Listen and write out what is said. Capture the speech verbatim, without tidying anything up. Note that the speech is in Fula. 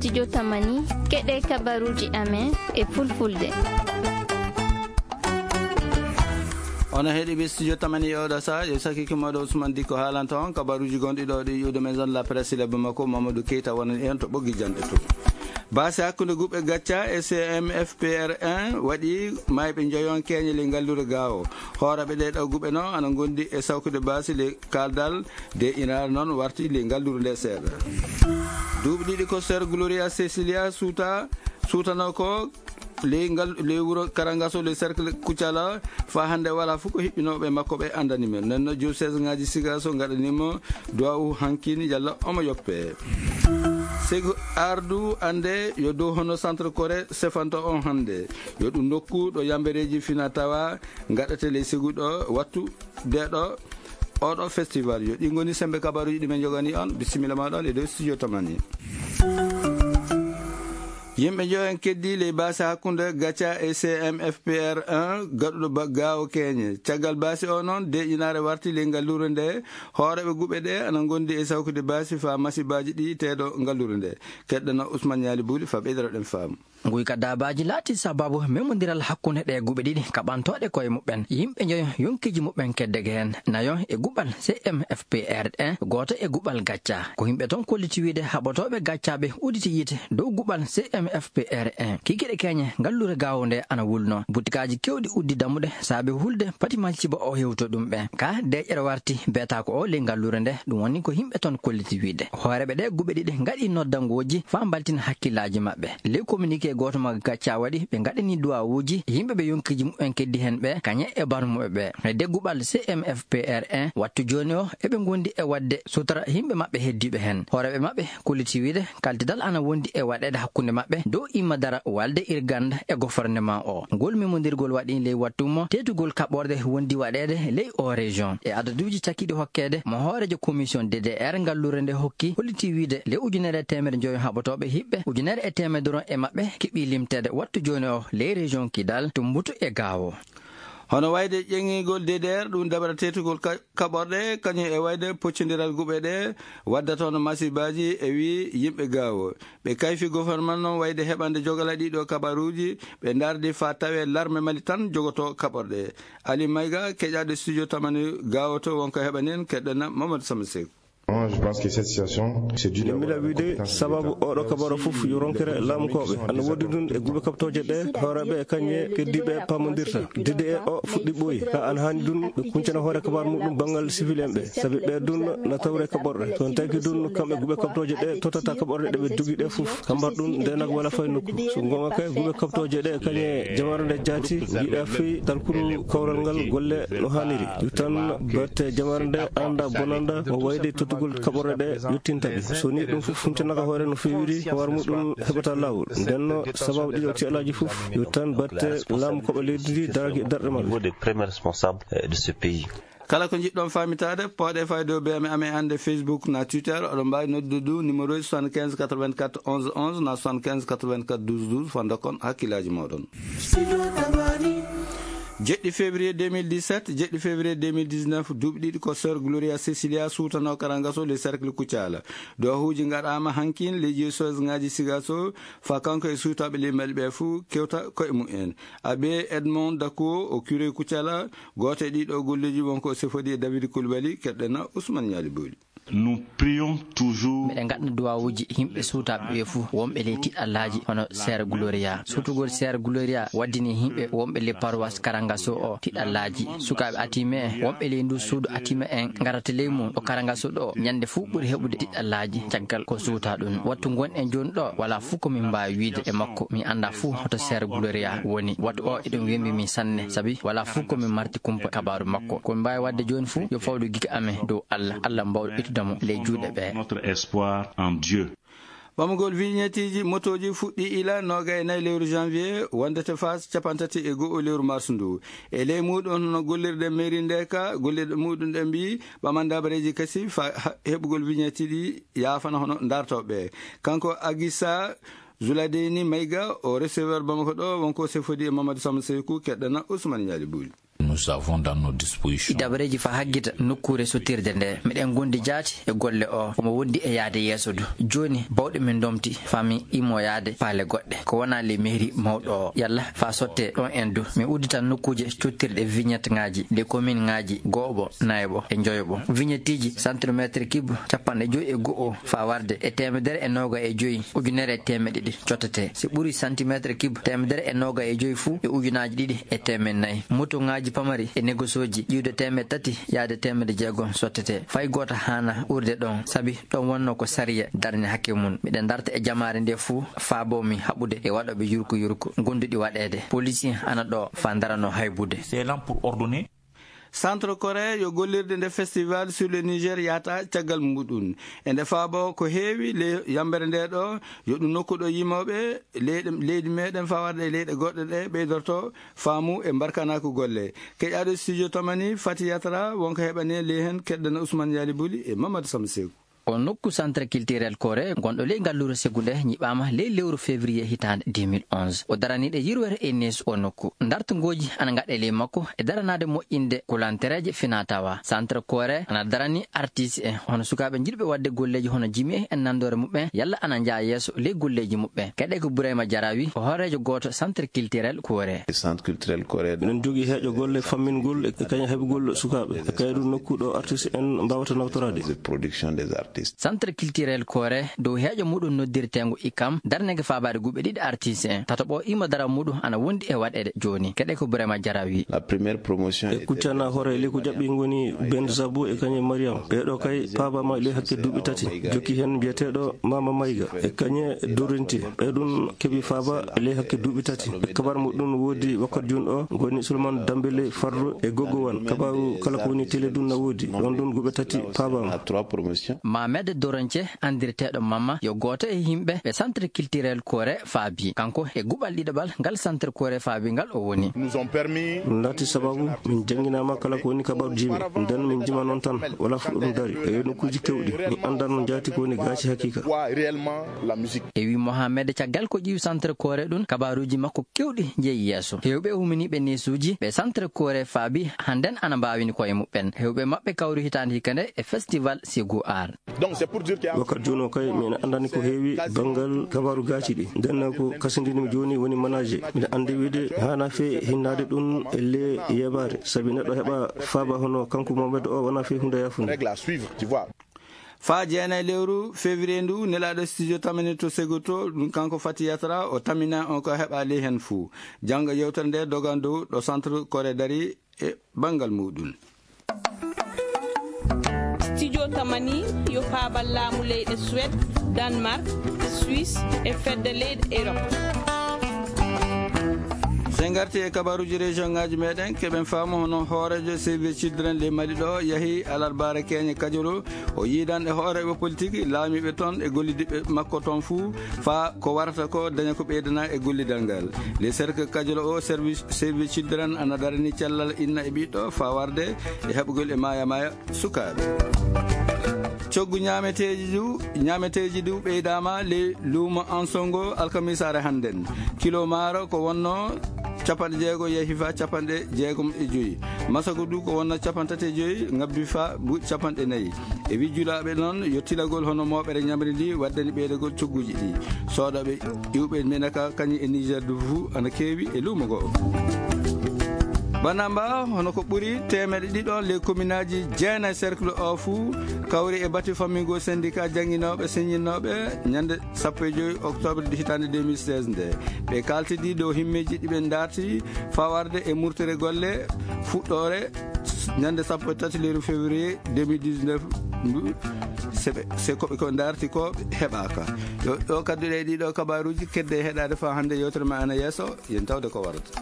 Studio Tamani, keɗe kabaruji amen e fulfulde. Onon heɗiiɓe Studio Tamani e oɗo saha, yo sakiki moɗo Ousmane Dikko haalanta on kabaruji gonɗi ɗo ɗi iwde maison de la presse e lebbo makko Mamadou Keita wonani en to ɓoggi jande to. Baasi hakkunde guɓe gacca e C M F P R un waɗi mayɓe njoyon keñe ley ngallure Gaawo. Hooreɓe ɗe ɗo guɓe no ana gondi e sawkude baasi ley kaldal de inaare noon warti ley ngallure nde seeɗa. Duuɓi ɗiɗi ko Sœur Gloria Cecilia suuta, suutano ko ley ngal, ley wuro Karangaso, ley cercle Kucala, fa hannde wala fof ko hiɓɓinooɓe makko ɓe anndani men. Nden no diocèse ŋaaji Sigaso ngaɗanimo duwawu hankin yalla omo yoppe. Sego ardu annde yo dow hono centre Corée sefanto on hannde. Yo ɗum nokku ɗo yambereeji fina tawa ngaɗate ley segu ɗo wattu de ɗo oɗo festival. Yo ɗi ngoni sembe kabaruji ɗi men jogani on. Bisimilla ma ɗon e dow Studio Tamani. Yimɓe njoyo en keddi ley baasi hakkunde Gaca e C M F P R un gaɗuɗo ba-, Gaawo Keñe. Caggal baasi o noon, deeƴinaare warti ley ngallure nde. Hooreɓe guɓe ɗe ana gondi e sawkude baasi faa masibaaji ɗi teedo ngallure nde. Keɗɗana Ousmane Ñaali Buuli faa ɓeydoro ɗen faamu. Nguy ka daabaaji laati sababu memondiral hakkunde ɗe guɓe ɗiɗi kaɓantooɗe koye muɓɓen. Yimɓe njoyo yonkiiji muɓɓen keddege heen. Nayo e guɓal C M F P R un, gooto e guɓal Gacca. Ko yimɓe toon kolliti wiide haɓotooɓe Gaccaaɓe uditi yiite dow guɓal C M F P R un. Kikiɗe keñe ngallure Gaawo nde ana wulno. Butikaaji kewɗi uddi dammuɗe saabe hulde pati malciba o hewto ɗum ɓe. Ka deeƴere warti beetaako o ley ngallure nde, ɗum woni ko yimɓe toon kolliti wiide. Hooreɓe ɗe guɓe ɗiɗi ngaɗi noddangooji faa mbaltina hakkillaaji maɓɓe. Ley communiqué gooto mo Gacca waɗi, ɓe ngaɗani duwawuuji yimɓe ɓe yonkiiji muɓɓen keddi heen ɓe, kañe e barmuɓe ɓe. E degguɓal C M F P R un, wattu jooni o, eɓe ngondi e waɗde sutura yimɓe maɓɓe heddiiɓe heen. Hooreɓe maɓɓe kolliti wiide, kaltidal ana wondi e waɗeede hakkunde maɓɓe dow imma dara walde Irganda e gouvernement o. Ngol memondirgol waɗi ley wattu mo teetugol kaɓorɗe wondi waɗeede ley o région. E adaduuji cakkiɗi hokkeede mo hooreejo commission D D R ngallure nde hokki, holliti wiide ley ujunere e teemedde njoyo haɓotooɓe hiɓɓe, ujunere e teemedde ron e maɓɓe keɓi limteede wattu jooni o ley région Kidal, Tumbutu e Gaawo. Hono wayde ƴeŋigol D D R, ɗum dabara teetugol ka-, kaɓorɗe, kañum e wayde poccondiral guɓe ɗe waddata hono masibaaji e wii yimɓe Gaawo. Ɓe kayfi gouvernement noon wayde heɓande jogala ɗiɗo kabaruuji, ɓe ndardi faa tawee larme Mali tan jogoto kaɓorɗe. Ali Mayga, keƴaaɗo studio Tamani Gaawo to, wonko heɓani en, keɗɗana Mamadou Samba Seck. Moi, je pense que cette situation, c'est dû d'abord à la incompétence de l'État. Miɗo wiide sababu oɗo kabaro fof yo ronkere laamukooɓe. Ana woodi ɗum e guɓe kaɓtooje ɗe, hooreeɓe e kañe keddiiɓe paamondirta. D D R o fuɗɗi ɓooyi. Ka ana haani ɗum ɓe kuncana hoore kabaru muɗum banngal civil en ɓe. Sabi ɓe ɗum na tawre kaɓorɗe. So on taki ɗum kamɓe guɓe kaɓtooje ɗe totata kaɓorɗe ɗe ɓe dogi ɗe fof. Kambar ɗum ndenak wala fay nokku. So gonga kay guɓe kaɓtooje ɗe kañe jamare nde jaati, yiɗa fii talkuru kawral ngal golle no haaniri. Yo tan batte jamare nde anda bonanda o wayde tottugol kaɓorɗe ɗe yottinta ɓe. So ni ɗum fof funtinaka hoore no feewiri, ko war muɗum heɓata laawol. Nden no sababu ɗiɗo tiɗalaaji fof, yo tan batte laamu koɓe leydi ndi daraki e darɗe maɓɓe. Niveau des premiers responsables, euh, de ce pays. Kala ko njiɗɗon faamitaade, pooɗe fayde o B M amen annde Facebook na Twitter, oɗon mbaawi noddude ɗum numéro soixante-quinze quatre-vingt-quatre onze onze na soixante-quinze quatre-vingt-quatre douze douze, fanda kon hakkillaaji mooɗon. Jeɗɗi février deux mille dix-sept, jeɗɗi février deux mille dix-neuf, duuɓi ɗiɗi ko Sœur Gloria Cecilia suutanoo Karangaso le cercle Kucala. Duwawuuji ngaɗaama hankin ley diocèse ŋaaji Sigaso, faa kanko e suutaaɓe ley Mali ɓe fuu kewta koye mumen. Abbé Edmond Dakuo, o curé Kucala, gooto e ɗiɗo golleeji wonko o sefodi e David Coulibaly, keɗɗena Ousmane Ñaali Booli. Nous prions toujours. Miɗen ngaɗna duwawuuji yimɓe suutaaɓe ɓe fuu, wonɓe ley tiɗallaaji, hono Sœur Gloria. Suutugol Sœur Gloria waddini yimɓe wonɓe ley paroisse Karangaso o tiɗallaaji. Sukaaɓe Atime en, wonɓe ley ndu suudu Atime en, ngarata ley mum ɗo Karangaso ɗo, ñande fuu ɓuri heɓude tiɗallaaji caggal ko suuta ɗum. Wattu ngonɗen jooni ɗo, wala fuu ko min mbaawi wiide e makko. Min annda fuu hoto Sœur Gloria woni. Wattu o eɗen wembi min sanne, sabi wala fuu ko min marti kumpa kabaaru makko. Ko min mbaawi waɗde jooni fuu, yo fawdu gika amen dow Allah, Allah mbawɗo ittude mo ley juuɗe ɓe. Notre espoir en Dieu. Ɓamugol vignetteeji motooji fuɗɗii ila noogay e nayi lewru janvier, wondete faa cappanɗe tati e go'o lewru mars ndu. E ley muuɗum, hono gollirɗe mairie nde ka, gollirɗe muuɗum ɗe mbii, ɓaman dabareeji kasi faa ha-, heɓugol vignette ɗi yaafana hono dartooɓe. Kanko Agisa Zuladeni Mayga, o receveur Bamako ɗo, wonko sefodi e Mamadou Samba Seyku, keɗɗana Ousmane Ñaali Buuli. Nous avons dans nos dispositions. Ɗi dabareeji faa haggita nokkuure sottirde nde. Miɗen ngondi jaati e golle o, omo wondi e yahde yeeso du. Jooni, bawɗe men ndomti, faa min immo yahde paale goɗɗe. Ko wonaa ley mairie mawɗo o. Yalla, faa sotte ɗon en du. Min udditan nokkuuje cottirɗe vignette ŋaaji, ley commune ŋaaji gooɓo, nayoɓo e njoyoɓo. Vignetteeji centimétre cube capanɗe joy e go'o faa warde e teemedere e noogay e joy, ujunere e teemeɗɗe ɗiɗi cottete. Si ɓuri centimétre cube teemedere e noogay e joy fu e ujunaaji ɗiɗi e teemeɗɗe nayi. Motoŋaaji pamari e negosooji ƴiwde teemeɗɗe tati yahde teemeɗɗe jeegom sottete. Fay gooto haanaa urde ɗon, sabi ɗon wonnoo ko sariya darni hakke mum. Miɗen darta e jamaare nde fuu, faaboo mi haɓude e waɗooɓe yurku yurku gonduɗi waɗeede. Police ana ɗo faa ndaranoo haybude. C'est là pour ordonner. Centre Corée yo gollirde nde Festival sur le Niger yahata caggal muɗum. E nde faabo ko heewi ley yambere nde ɗo, yo ɗum nokku ɗo yimooɓe leyɗe, leydi meɗen faa warde e leyɗe goɗɗe ɗe ɓeydorto faamu e mbarkanaaku golle. Keƴaaɗo studio Tamani, Fati Yatra, wonko heɓani ley hen, keddana Ousmane Yali Buli e Mamadou Samsekou. O nokku Centre Culturel Corée, gonɗo ley ngalluure Segu nde, ñiɓaama ley lewru février hitaande deux mille onze. O daraniiɗo yirwere e neesu o nokku. Dartongooji ana ngaɗe ley makko e daranaade moƴƴinde kulantereeje finaa tawaa. Centre Corée ana darani artiste en, hono sukaaɓe jiɗɓe waɗde golleeji hono jimi en e nandoore muɓɓen, yalla ana njaha yeeso ley golleeji muɓɓen. Keɗe ko Burayma Jarawi, ko hooreejo gooto Centre Culturel Corée. Centre Culturel Corée. Eɗen jogii heeƴo golle fammingol e kañum heɓugol sukaaɓe. E kayru nokku ɗo artiste en mbaawata nawtoraade. De production des artistes. Centre Culturel Corée, dow heeƴo muɗum noddirteengo ikam, darnege faabaade guɓe ɗiɗi artiste en. Tataɓo imo dara muɗum ana wondi e waɗeede jooni. Keɗe ko Burema Jarawi. La première promotion. E kuccana hoore ley ko jaɓɓi ngoni Ben Zabo e kañum Mariam. Ɓeeɗo kay paabaama ley hakke duuɓi tati. Jokki heen mbiyeteeɗo Mama Mayga e kañum Dorinti. Ɓe ɗum keɓi faaba ley hakke duuɓi tati. E kabar muɗum woodi wakkat jun o ngoni Souleymane Dambele Fardo e Gogo Wan. Kabaru kala ko woni télé ɗum na woodi. Ɗon ɗum guɓe tati paabaama. Trois promotions. Mamed Doronce, anndirteeɗo Mamma, yo gooto e yimɓe ɓe Centre Culturel Corée faabi. Kanko e guɓal ɗiɗaɓal ngal Centre Corée faabi ngal o woni. Nous ont permis. Ɗum laati sababu min jannginaama kala ko woni kabaru jimi. Nden min jima noon tan, wala fof ɗum dari. E nokkuuji keewɗi, min anndaa noon jaati ko woni gaaci hakiika. Quoi réellement la musique. E wi Mohamed, caggal ko ƴiwi Centre Corée ɗum, kabaruuji makko keewɗi njeyi yeeso. Heewɓe huminiiɓe neesuuji ɓe Centre Corée faabi, hannden ana mbaawini koye muɓɓen. Heewɓe maɓɓe kawri hitaande hikka nde e festival Segu Art. Donc, c'est pour dire qu'il y a. Wakkat jooni o kay, min anndani ko heewi banngal kabaru gaaci ɗi. Nden ko kasindinmi jooni woni manager. Miɗa anndi wiide haana fee hinnaade ɗum e le yeebaare. Sabi neɗɗo heɓa faaba hono kanko Mohamed o wona fee huunde yaafunde. Règle à suivre, tu vois. Faa jeenayi lewru février ndu, nelaaɗo studio Tamani to Segu to, ɗum kanko Fati Yatra, o tamina on ko heɓa ley heen fuu. Janngo yewtere nde dogan dow ɗo Centre Corée dari e banngal muɗum. Studio Tamani yo paabal laamu leyɗe Suède, Danemark, Suisse e fedde leyɗe Europe. So en ngarti e kabaruuji région ŋaaji meɗen, keɓen faamu hono hooreejo Save the Children ley Mali ɗo yahi alarbaare keñe Kajolo. O yiidan e hooreeɓe politik, laamiiɓe toon e gollidiɓe makko toon fuu, faa ko warata ko daña ko ɓeydana e gollidal ngal. Le cercle Kajolo o, service Save the Children ana darani cellal inna e ɓiɗɗo faa warde e heɓugol e maaya maaya sukaaɓe. Coggu ñaameteeji du, ñaameteeji du ɓeydaama ley luumo Ansongo alkamisaare hannden. Kilo maaro ko wonno capanɗe jeego yehi faa capanɗe jeegom e joyi. Masago du ko wonno capanɗe tati e joyi, ngabbi faa buuɗi capanɗe nayi. E wi julaaɓe noon, yo tilagol hono mooɓere ñamri ndi waɗdani ɓeydagol cogguuji ɗi. Soodooɓe iwɓe menaka kañum e Niger du fuu ana keewi e luumo ngo. Banamba, hono ko ɓuri teemeɗe ɗiɗo les communaaji jeenayi cercle o fuu kawri e batu fammingo syndicat jannginooɓe, siññinnooɓe ñande sappo e joyi octobre hitaande deux mille seize nde. Ɓe kaaltidi dow himmeeji ɗi ɓe ndaarti faa warde e murtere golle fuɗɗoore ñande sappo e tati lewru février deux mille dix-neuf ndu. Se ɓe, se ko ɓe ko ndaarti ko heɓaaka. Yo, ɗo kadduɗe e ɗiɗo kabaruuji kedde e heɗaade faa hannde yewtere ma ana yeeso, yen tawde ko warata.